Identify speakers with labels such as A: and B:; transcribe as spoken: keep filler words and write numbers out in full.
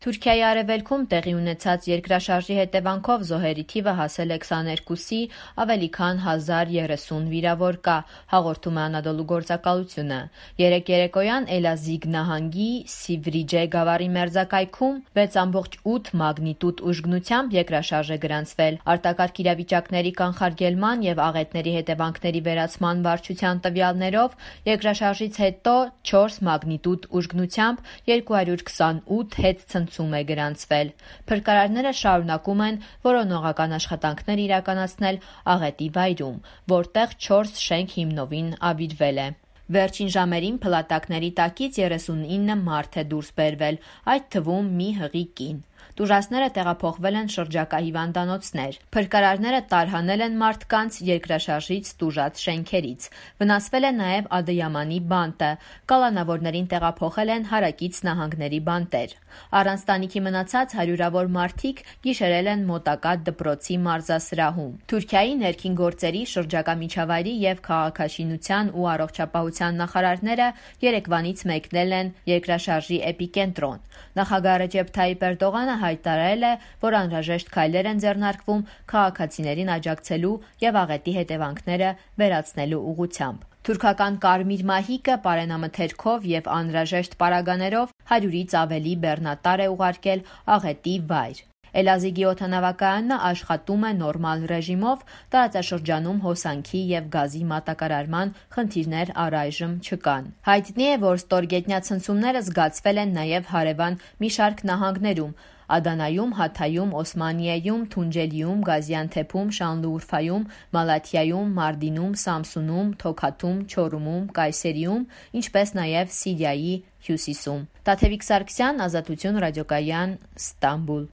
A: Թուրքիայի արևելքում տեղի ունեցած երկրաշարժի հետևանքով զոհերի թիվը հասել է քսաներկուսի, ավելի քան հազար երեսուն վիրավոր կա, հաղորդում է Անադոլու գործակալությունը։ Երեկ երեկոյան Էլազիգ նահանգի Սիվրիջե գավառի մերձակայքում վեց կόμma ութ մագնիտուդ ուժգնությամբ երկրաշարժ է գրանցվել։ Արտակարգ իրավիճակների կանխարգելման և աղետների հետևանքների վերացման վարչության տվյալներով երկրաշարժից հետո չորս մագնիտուդ ուժգնությամբ երկու հարյուր քսանութ հետ ցնցում է գրանցվել։ Փրկարարները շարունակում են որոնողական աշխատանքներ իրականացնել աղետի վայրում, որտեղ չորս շենք հիմնովին ավիրվել է։ Վերջին ժամերին փլատակների տակից երեսունինը մարդ է դուրս բերվել, այդ թվում մի հղի կին։ Տուժածները տեղափոխվել են շրջակա հիվանդանոցներ։ Փրկարարները տարհանել են մարդկանց երկրաշարժից տուժած շենքերից։ Վնասվել է նաև Ադըյամանի բանտը։ Կալանավորներին տեղափոխել են հարակից նահանգների բանտեր։ Առանց տանիքի մնացած հարյուրավոր մարդիկ գիշերել են մոտակա դպրոցի մարզասրահում։ Թուրքիայի ներքին գործերի, շրջակա միջավայրի և քաղաքաշինության ու առողջապահության նախարարները երեկվանից մեկնել են երկրաշարժի էպիկենտրոն։ Նախագահ Ռեջեփ Թայիպ Էրդողանը հայտարարել է, որ անհրաժեշտ քայլեր են ձեռնարկվում քաղաքացիներին աջակցելու և աղետի հետևանքները վերացնելու ուղղությամբ։ Թուրքական Կարմիր մահիկը պարենամթերքով և անհրաժեշտ պարագաներով հարյուրից ավելի բեռնատար է ուղարկել աղետի վայր։ Էլազիգի օդանավակայանն աշխատում է նորմալ ռեժիմով, տարածաշրջանում հոսանքի և գազի մատակարարման խնդիրներ առայժմ չկան։ Հայտնի է, որ ստորգետնյա ցնցումները զգացվել են նաև հարևան մի շարք նահանգներում՝ Ադանայում, Հաթայում, Օսմանիեում, Թունջելիում, Գազիանթեփում, Շանլիուրֆայում, Մալաթիայում, Մարդինում, Սամսունում, Թոքաթում, Չորումում, Կայսերիում, ինչպես նաև Սիրիայի հյուսիսում։ Տաթևիկ Սարգսյան, Ազատություն ռադիոկայան, Ստամբուլ։